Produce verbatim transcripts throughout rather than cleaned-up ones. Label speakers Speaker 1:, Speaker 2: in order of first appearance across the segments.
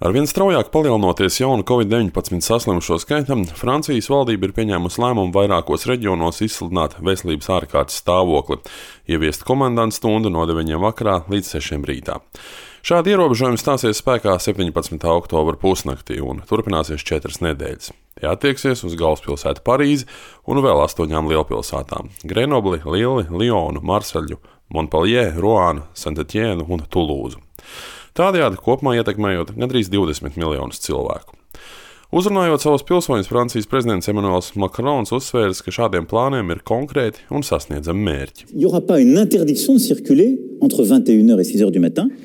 Speaker 1: Arvien straujāk palielinoties jaunu covid deviņpadsmit saslimušo skaitam, Francijas valdība ir pieņēmusi lēmumu vairākos reģionos izsludināt veselības ārkārtas stāvokli, ieviest komendantu stundu no deviņiem vakarā līdz sešiem rītā. Šādi ierobežojumi stāsies spēkā septiņpadsmitā oktobra pusnaktī un turpināsies četras nedēļas. Tie attieksies uz galvaspilsētu Parīzi un vēl astoņām lielpilsētām - Grenobli, Lili, Lionu, Marseļu, Montpellier, Roānu, Saint-Etienne un Tulūzu. Tādējādi kopumā ietekmējot gandrīz divdesmit miljonus cilvēku. Uzrunājot savus pilsoņus, Francijas prezidents Emmanuels Macrons uzsvērs, ka šādiem plāniem ir konkrēti un sasniedzami mērķi.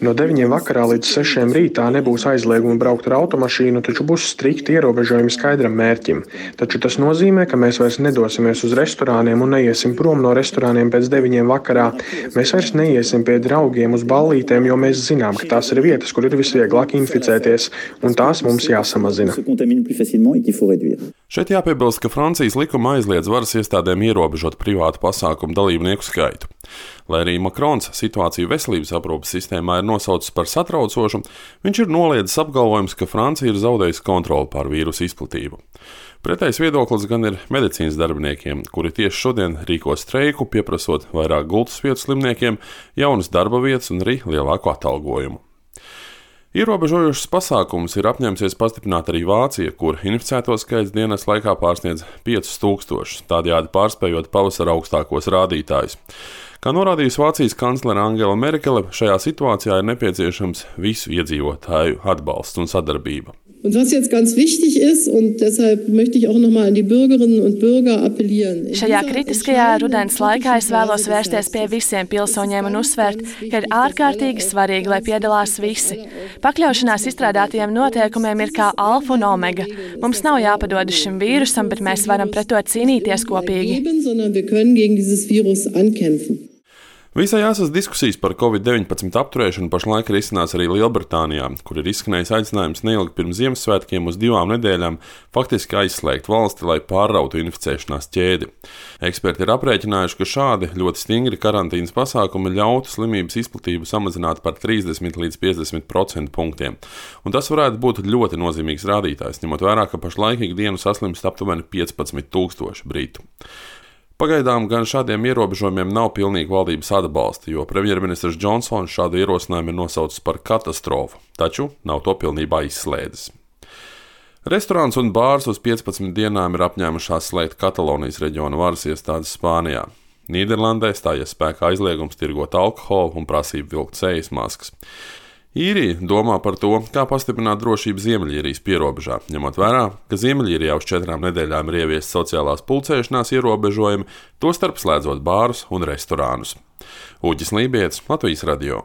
Speaker 2: No deviņiem vakarā līdz sešiem rītā nebūs aizlieguma braukt ar automašīnu, taču būs strikti ierobežojumi skaidram mērķim. Taču tas nozīmē, ka mēs vairs nedosimies uz restorāniem un neiesim prom no restorāniem pēc deviņiem vakarā. Mēs vairs neiesim pie draugiem uz ballītēm, jo mēs zinām, ka tās ir vietas, kur ir visvieglāk inficēties, un tās mums jāsamazina.
Speaker 1: Šeit jāpiebilst, ka Francijas likuma aizliedz varas iestādēm ierobežot privātu pasākumu dalībnieku skaitu. Lai arī Macrons situāciju veselības aprūpes sistēmā ir nosaucis par satraucošu, viņš ir noliedzis apgalvojums, ka Francija ir zaudējusi kontroli pār vīrusu izplatību. Pretējs viedoklis gan ir medicīnas darbiniekiem, kuri tieši šodien rīko streiku, pieprasot vairāk gultas vietu slimniekiem, jaunas darba vietas un arī lielāku atalgojumu. Ierobežojošas pasākumus ir apņēmusies pastiprināt arī Vācija, kur inficēto skaits dienas laikā pārsniedz piecus tūkstošus, tādējādi pārspējot pavasara augstākos rādītājus. Kā norādījusi Vācijas kanclere Angela Merkele, šajā situācijā ir nepieciešams visu iedzīvotāju atbalsts un sadarbība.
Speaker 3: Und was jetzt ganz wichtig ist, und deshalb möchte ich auch noch mal an die Bürgerinnen und Bürger appellieren.
Speaker 4: Šajā kritiskajā rudens laikā es vēlos vērsties pie visiem pilsoņiem un uzsvērt, ka ir ārkārtīgi svarīgi, lai piedalās visi. Pakļaušanās izstrādātajiem noteikumiem ir kā alfa un omega. Mums nav jāpadodas šim vīrusam, bet mēs varam pret to cīnīties kopīgi.
Speaker 1: Visai jāsas diskusijas par covid deviņpadsmit apturēšanu pašlaik risinās arī Lielbritānijā, kur ir izskanējis aicinājums neilgi pirms Ziemassvētkiem uz divām nedēļām faktiski aizslēgt valsti, lai pārrautu inficēšanās ķēdi. Eksperti ir aprēķinājuši, ka šādi ļoti stingri karantīnas pasākumi ļautu slimības izplatību samazināt par trīsdesmit līdz piecdesmit procentu punktiem. Un tas varētu būt ļoti nozīmīgs rādītājs, ņemot vērā, ka pašlaik ikdienu saslimst aptuveni piecpadsmit tūkstoši britu. Pagaidām gan šādiem ierobežojumiem nav pilnīga valdības atbalsta, jo premjerministrs Džonsons šādu ierosinājumu ir nosaucis par katastrofu, taču nav to pilnībā izslēdzis. Restorāns un bārs uz piecpadsmit dienām ir apņēmušās slēgt Katalonijas reģiona varas iestādes Spānijā. Nīderlandē stājies spēkā aizliegums tirgot alkoholu un prasība vilkt sejas maskas. Īrija domā par to, kā pastiprināt drošību Ziemeļīrijas pierobežā, ņemot vērā, ka Ziemeļīrijā uz četrām nedēļām ir ieviesti sociālās pulcēšanās ierobežojumi, tostarp slēdzot bārus un restorānus. Uģis Lībietis, Latvijas radio.